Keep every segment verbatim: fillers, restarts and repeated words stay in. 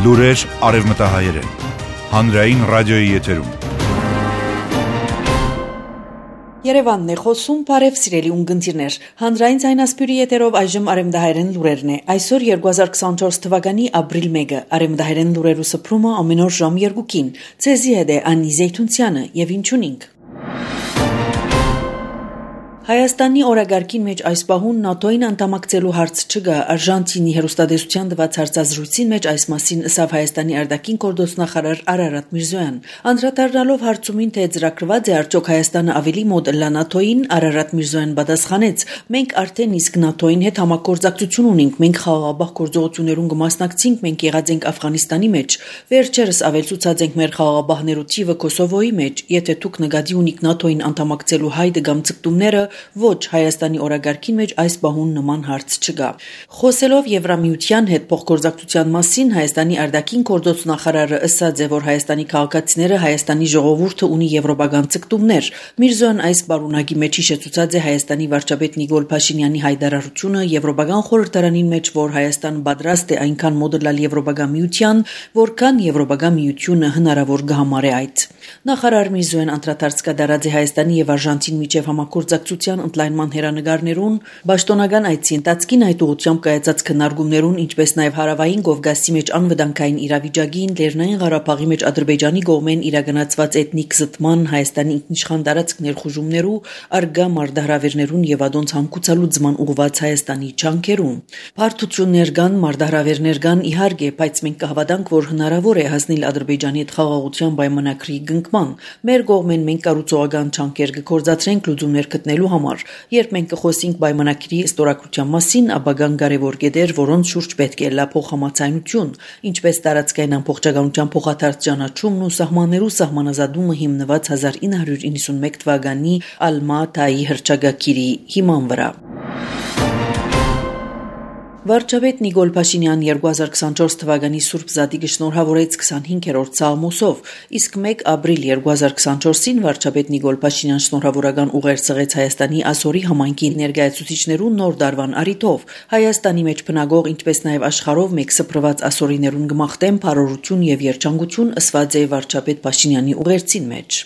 Լուրեր արևմտահայերեն։ Հանրային ռադիոյի եթերում։ Երևանն է խոսում, բարև սիրելի ունկնդիրներ։ Հանրային ձայնասպյուրի եթերով այժմ արևմտահայերեն լուրերն է։ Այսօր երկու հազար քսանչորս թվականի ապրիլ մեկը արևմտահայերեն լուրերու սփռումը ամեն օր ժամ երկուքին։ Ցեզի հետ է Անի Զեյթունցյանը եւ ինչունինք։ Հայաստանի օրագարկին մեջ այս պահուն ՆԱՏՕ-ին անդամակցելու հարց չկա, Արժանտինի հեռուստատեսության տված հարցազրույցին մեջ այս մասին ըսավ Հայաստանի արտաքին գործնախարար Արարատ Միրզոյան։ Անդրադառնալով հարցումին, թե ծրագրված է արդյոք Հայաստանը ավելի մոտ լա ՆԱՏՕ-ին, Արարատ Միրզոյան պատասխանեց. մենք արդեն իսկ ՆԱՏՕ-ին հետ համագործակցություն ունենք, մենք խաղաղապահ գործողություններուն կմասնակցենք, մենք եղած ենք Աֆղանիստանի մեջ, վերջերս ավելցուցած ենք մեր խաղաղապահներու թիվը Կոսովոյի մեջ, եթե դուք նկատի ունիք ՆԱՏՕ-ին անդամակցելու հայտ կամ ցկտումները, ոչ, Հայաստանի օրագարկին մեջ այս բահուն նման հարց չկա։ Խոսելով Եվրամիության հետ փոխգործակցության մասին, Հայաստանի արտաքին գործնախարարը ասաց է, որ Հայաստանի քաղաքացիները Հայաստանի ժողովուրդը ունի եվրոպական ցկտումներ։ Միրզոյան այս բարունակի մեջ հիշեցուցած է Հայաստանի վարչապետ Նիկոլ Փաշինյանի հայտարարությունը Եվրոպական խորհրդարանին մեջ, որ Հայաստան պատրաստ է այնքան մոդելալ Եվրոպական միության, որքան Եվրոպական միությունը հնարավոր կհամարի այդ։ Նախարար Միրզոյան անդրադարձ կատարած է Հայաստանի եւ Արժանտին միջև համագործակցության ընդլայնման հերանեկարներուն, պաշտոնական այցի ընթացքին այդ ուղղությամբ կայացած քննարկումներուն, ինչպես նաև հարավային Կովկասի մեջ անվտանգային իրավիճակին, Լեռնային Ղարաբաղի մեջ Ադրբեջանի կողմեն իրականացված էթնիկ զտման, Հայաստանի ինքնիշխան տարածք ներխուժումներու, արգա մարտահրավերներուն եւ ադոնց հանգուցալուծման ուղղված Հայաստանի ջանքերուն։ Բարդություններ կան, մարտահրավերներ կան, իհարկե, բայց մենք կհավատանք, որ հնարավոր է հասնել Ադրբեջանի հետ խաղաղության պայմանագրի կնքման։ Մեր կողմեն մենք կառուցողական ջանքեր կգործադրենք լուծումներ գտնելու համար։ Երբ մենք կխոսենք պայմանագրի ստորագրության մասին, ապագան կարևոր կետեր, որոնց շուրջ պետք է լա փոխհամաձայնություն, ինչպես տարածքային ամբողջականության փոխադարձ ճանաչումն ու սահմաններու սահմանազատումը հիմնված հազար ինը հարյուր իննսունմեկ թվականի Ալմա-Աթայի հռչակագիրի հիման վրա։ Վարչապետ Նիկոլ Փաշինյան երկու հազար քսանչորս թվականի Սուրբ Զատիկը շնորհավորեց քսանհինգերորդ սաղմոսով, իսկ մեկ ապրիլ երկու հազար քսանչորսին վարչապետ Նիկոլ Փաշինյան շնորհավորական ուղեր ցղեց Հայաստանի ասորի համայնքի ներկայացուցիչներուն նոր դարվան առիթով։ Հայաստանի մեջ բնակող, ինչպես նաև աշխարհով մեկ սփռված ասորիներուն գմախտեն բարօրություն եւ երջանկություն ըսված է վարչապետ Փաշինյանի ուղերձին մեջ։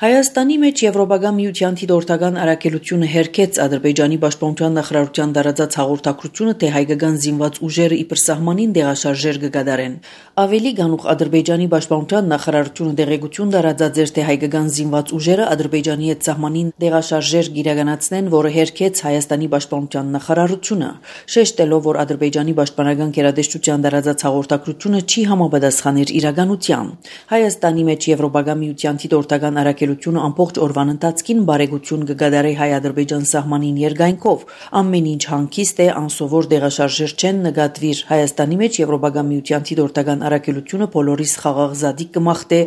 Հայաստանի մեջ Եվրոպական միության դիտորդական առաքելությունը հերքեց Ադրբեջանի պաշտպանության նախարարության տարածած հաղորդակցությունը, թե հայկական զինված ուժերը իբր սահմանին դեղաշարժեր կգադարեն։ Ավելի գանուխ Ադրբեջանի պաշտպանության նախարարությունը դեղեցություն տարածած էր, թե հայկական զինված ուժերը Ադրբեջանի հետ սահմանին դեղաշարժեր կիրականացնեն, որը հերքեց Հայաստանի պաշտպանության նախարարությունը, շեշտելով, որ Ադրբեջանի պաշտպանական գերատեսչության տարածած հաղորդակցությունը չի համապատասխաներ իրականության։ Հայաստանի մեջ Եվրոպական միության դիտորդական առաքելությունը ամբողջ օրվան ընթացքին բարեգություն կգադարի հայ-ադրբեջան սահմանին երկայնքով։ Ամեն ինչ հանգիստ է, անսովոր դեղաշարժեր չեն նկատվիր։ Հայաստանի մեջ Եվրոպական միության դիտորդական առաքելությունը բոլորիս խաղաղ զատիկ կմախտե,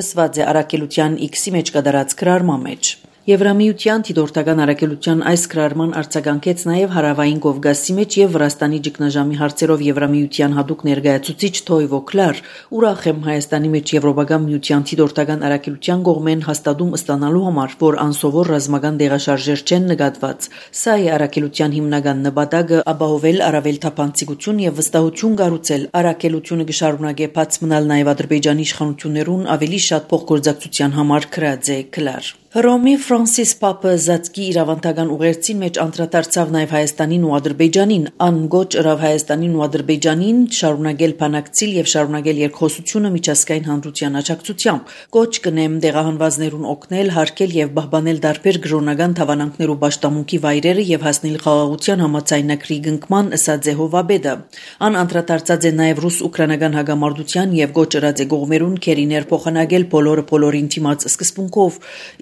ըսված է առաքելության X-ի մեջ կատարած գրառման մեջ։ Եվրամիության դիտորդական առաքելության այս գրառման արձագանքեց նաև հարավային Կովկասի մեջ եւ Վրաստանի ճգնաժամի հարցերով Եվրամիության հատուկ ներկայացուցիչ Թոյվո Կլար։ Ուրախ եմ Հայաստանի մեջ Եվրոպական միության դիտորդական առաքելության կողմեն հաստատում ստանալու համար, որ անսովոր ռազմական դեղաշարժեր չեն նկատված։ Սա է առաքելության հիմնական նպատակը՝ ապահովել առավել թափանցիկություն եւ վստահություն կառուցել։ Առաքելությունը կշարունակե բաց մնալ նաև Ադրբեջանի իշխանություններուն ավելի շատ փոխգործակցության համար գրած է Կլար։ Հռոմի Ֆրանսիս Պապը Զատկի իրավանդական ուղերձին մեջ անդրադարձավ նաև Հայաստանին ու Ադրբեջանին, ան գոչ ըրավ Հայաստանին ու Ադրբեջանին շարունակել բանակցիլ եւ շարունակել երկխոսությունը միջազգային հանրության աջակցությամբ։ Գոչ կնեմ դեղահանվածներուն օգնել, հարգել եւ պահպանել տարբեր գրոնական թավանանքներու պաշտամունքի վայրերը եւ հասնել խաղաղության համաձայնագրի կնքման, ըսած է Հովաբեդը։ Ան անդրադարձած է նաև ռուս-ուկրաինական հագամարտության եւ գոչ ըրած է գողմերուն քերիներ փոխանակել բոլորը բոլորին դիմաց սկզբունքով,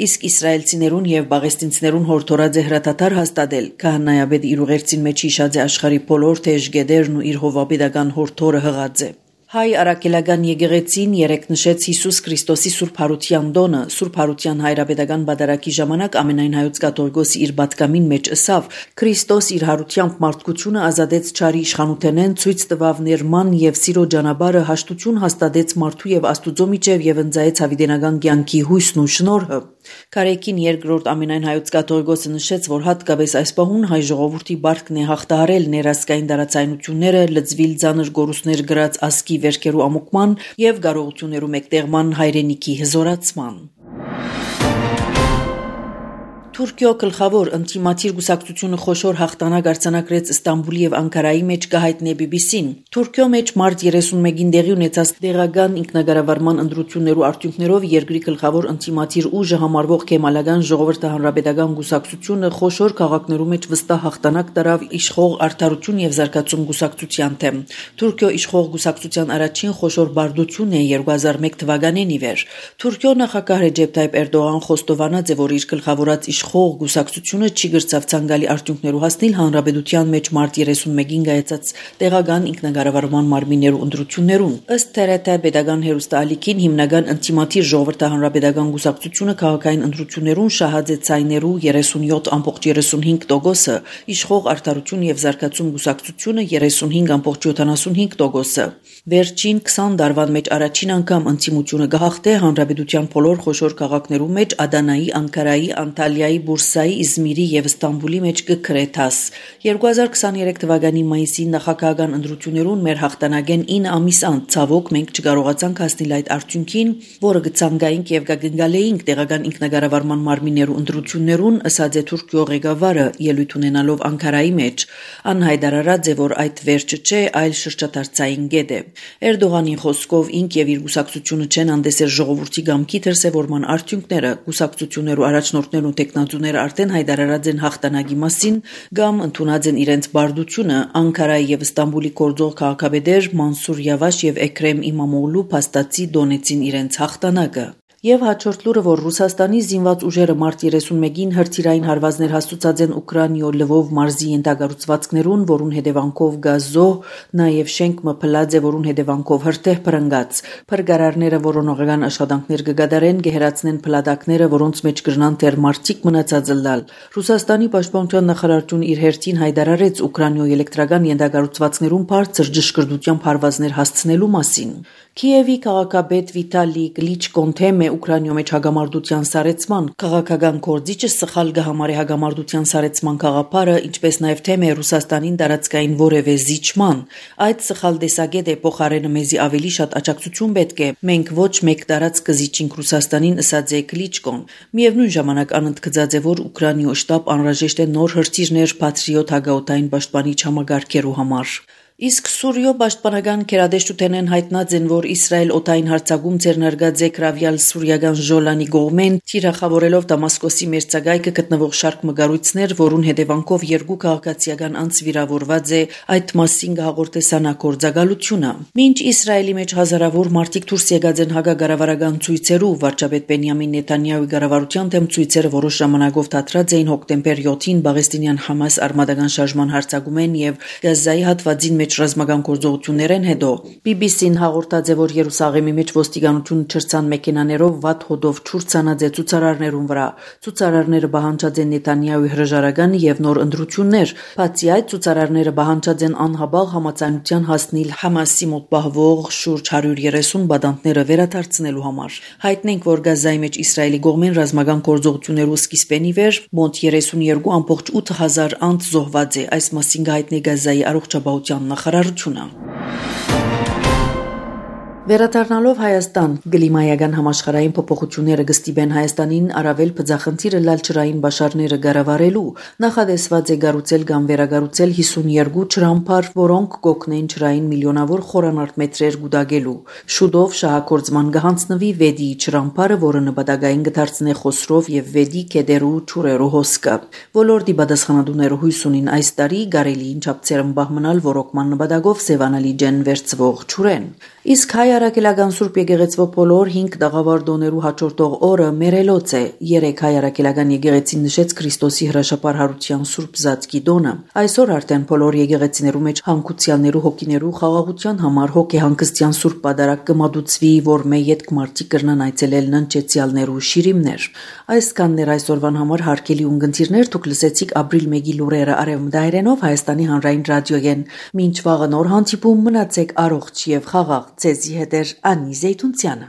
իսկ իսրայելցիներուն եւ բաղեստինցիներուն հորդորած է հրատատար հաստատել։ Քահանայապետը իր ուղերձին մեջ հիշած է աշխարհի բոլոր թեժգեդերն ու իր հովապետական հորդորը հղած է։ Հայ առաքելական եկեղեցին երեկ նշեց Հիսուս Քրիստոսի Սուրբ Հարության տոնը։ Սուրբ Հարության հայրապետական բادرակի ժամանակ ամենայն հայոց կաթողիկոսի իր պատգամին մեջ ըսավ. Քրիստոս իր հարությամբ մարդկությունը ազատեց չարի իշխանութենեն, ցույց տվավ ներման եւ սիրո ճանապարհը, հաշտություն հաստատեց մարդու եւ Աստուծո միջև եւ ընծայեց հավիտենական կյանքի հույսն ու շնորհը։ Կարեկին երկրորդ ամենայն հայոց կաթողիկոսը նշեց, որ հատկապես այս պահուն հայ ժողովրդի բարքն է հաղթահարել ներազգային տարածայնությունները, լծվիլ ծանր գորուսներ գրած ասկի վերքերու ամուկման եւ կարողություններու մեկտեղման հայրենիքի հզորացման։ Թուրքիո գլխավոր ինտիմատիր գուսակցությունը խոշոր հաղթանակ արձանագրեց Ստամբուլի եւ Անկարայի մեջ կհայտնի բի բի սին։ Թուրքիո մեջ մարտ երեսունմեկին դեղի ունեցած տեղական ինքնագարավարման ընտրություններու արդյունքներով երկրի գլխավոր ինտիմատիր ուժը համարվող Քեմալական ժողովրդի հանրապետական գուսակցությունը խոշոր քաղաքներու մեջ վստահ հաղթանակ տարավ իշխող արդարություն եւ զարգացում գուսակցության թեմ։ Թուրքիո իշխող գուսակցության առաջին խոշոր բարդությունն է երկու հազար մեկ թվականին ի վեր։ Թուրքիո նախագահ Ռեջեփ Թայիփ Էրդողան խոստովանած է, որ իր գլխավորած իշխող գուսակցությունը չի գրծավ ցանկալի արդյունքներու հասնել հանրապետության մեջ մարտ երեսունմեկին կայացած տեղական ինքնագարավարման մարմիններու ընտրություններուն։ Ըստ Թ R T պետական հերոստալիքին հիմնական ինտիմատիր ժողովրդի հանրապետական գուսակցությունը քաղաքային ընտրություններուն շահած է ցայներու երեսունյոթ ամբողջ երեսունհինգ տոկոսը, իշխող արդարություն եւ զարգացում գուսակցությունը երեսունհինգ ամբողջ յոթանասունհինգ տոկոսը։ Վերջին քսան տարվան մեջ առաջին անգամ ինտիմությունը գահղթե հանրապետության բոլոր խոշոր քաղաքներու մեջ Ադանայի, Անկարայի, Անտալիայի, Բուրսայի, Իզմիրի եւ Ստամբուլի մեջ կգրեթաս։ երկու հազար քսաներեք թվականի մայիսի նախագահական ընտրություններուն մեր հաղթանակեն ինը ամիս անց ցավոք մենք չկարողացանք հասնել այդ արդյունքին, որը գցանգայինք եւ գագնգալեինք տեղական ինքնագարավարման մարմիններու ընտրություններուն, ըսած է Թուրքիո ղեկավարը ելույթ ունենալով Անկարայի մեջ։ Անհայտարարած է, որ այդ վերջը չէ, այլ շրջադարձային գետ է։ Էրդողանի խոսքով ինք եւ իր գուսակցությունը չեն անդեսեր ժողովրդի գամքի դրսեւորման արդյունքները, գուսակցություններու առաջնորդներն ու տեխնատուները արդեն հայտարարած են հաղթանակի մասին կամ ընդունած են իրենց բարդությունը։ Անկարայի եւ Ստամբուլի կորձող քաղաքապետեր Մանսուր Յավաշ եւ Էքրեմ Իմամօղլու փաստացի դոնեցին իրենց հաղթանակը։ Եվ հաջորդ լուրը, որ Ռուսաստանի զինված ուժերը մարտ երեսունմեկին հրթիռային հարվածներ հաստուցած են Ուկրաինայո Լվով մարզի ենթակառուցվածքներուն, որուն հետևանքով գազոհ, նաև շենք մփլած է, որուն հետևանքով հրթիռ փրկած։ Փրկարարները որոնողական աշխատանքներ կգադարեն, գեհերացնեն փլատակները, որոնց մեջ կրնան դեռ մարդիկ մնացած լալ։ Ռուսաստանի պաշտպանության նախարարությունը իր հերթին հայտարարեց Ուկրաինայո էլեկտրական ենթակառուցվածքներուն բարձր ճշգրտությամբ հարվածներ հասցնելու մասին։ Քիևի քաղաքապետ Վիտալի Կլիչկոն թեմ է Ուկրաինայո մեջ հագամարտության սարեցման քաղաքական կորձիչը սխալ գահամարի հագամարտության սարեցման գաղափարը, ինչպես նաև թեմ է Ռուսաստանին տարածքային որևէ զիջման։ Այդ սխալ տեսակետ է փոխարենը մեզի ավելի շատ աջակցություն պետք է։ Մենք ոչ մեկ տարածք կզիջինք Ռուսաստանին, ըսած է Կլիչկոն։ Միևնույն ժամանակ անընդգծած է, որ Ուկրաինայո շտաբ անհրաժեշտ է նոր հրթիռներ Patriot հագաօտային պաշտպանիչ համագարկերու համար։ Իսկ Սուրիո պաշտպանական քերադեշտութենեն հայտնած են, որ Իսրայել օտային հարձակում ձեռնարկած է կրավյալ սուրիական Ժոլանի կողմեն, թիրախավորելով Դամասկոսի մերձակայքը գտնվող շարք մգարույցներ, որուն հետևանքով երկու քաղաքացիական անձ վիրավորված է, այդ մասին կհաղորդե ՍԱՆԱ գործակալությունը։ Մինչ Իսրայելի մեջ հազարավոր մարդիկ դուրս եկած են հակակառավարական ցույցերու, վարչապետ Բենյամին Նեթանյահուի կառավարության դեմ ցույցերը որոշ ժամանակով դադրած էին հոկտեմբեր յոթին Պաղեստինյան Համաս արմատական շարժման հարձակումեն եւ Գազայի հատվածին մեջ ռազմական գործողություններեն հետո բի բի սին հաղորդած է, որ Երուսաղեմի մեջ ոստիկանությունը չրցան մեքենաներով վատ հոդով չուրցանած է ցուցարարներուն վրա։ Ցուցարարները բանջած են Նեթանյահուի հրաժարականը եւ նոր ընտրություններ։ Բացի այդ, ցուցարարները բանջած են անհաբաղ համաձայնության հասնել Համասի մոտ պահվող շուրջ հարյուր երեսուն բադանտները վերադարձնելու համար։ Հայտնենք, որ Գազայի մեջ Իսրայելի կողմեն ռազմական գործողություններու սկիզբեն ի վեր մոտ երեսունյոթ ամբողջ ութ հազար անձ զոհված է։ Այս մասին կհայտնի Գազայի առողջապահության նախարարությունը։ Վերադառնալով Հայաստան, կլիմայական համաշխարհային փոփոխությունները կստիպեն Հայաստանին առավել բծախնդիրը լալ ջրային բաշարները կառավարելու, նախադեсված է կառուցել կամ վերակառուցել հիսունյոթ ջրամբար, որոնք կօգնեն ջրային միլիոնավոր խորանարդ մետրեր գուտակելու։ Շուտով շահագործման կհանձնվի վեդի ջրամբարը, որը նպատակային կդարձնի Խոսրով եւ վեդի կեդերու ջուրերու հոսքը։ Ոլորտի պատասխանատուները հույս ունին այս տարի գարելիին չափծերմբահ մնալ ռոռոկման նպատակով Սևանալի ջեն վերծվող ջուրեն։ Իսկ հայ արաքելական Սուրբ եկեղեցվո բոլոր հինգ տաղավար դոներու հաջորդող օրը մերելոց է։ Երեք հայ արաքելական եկեղեցին նշեց Քրիստոսի հրաշապար հարության Սուրբ Զածկի դոնը։ Այսօր արդեն բոլոր եկեղեցիներու մեջ հանգուցյալներու հոգիներու խաղաղության համար հոգեհանգստյան Սուրբ պատարագ կմատուցվի, որ մե յետք մարդիկ կրնան այցելել ննչեցյալներու շիրիմներ։ Այսքաններ այսօրվան համար հարգելի ունգընտիրներ, դուք լսեցիք ապրիլ մեկի լուրերը արևմտահայերենով Հայաստանի հանրային ռադիոյեն։ Մինչ վաղը նոր հանդիպում, մնացեք առողջ եւ խաղաղ։ Ձեզի հետ էր Անի Զեյթունցյանը։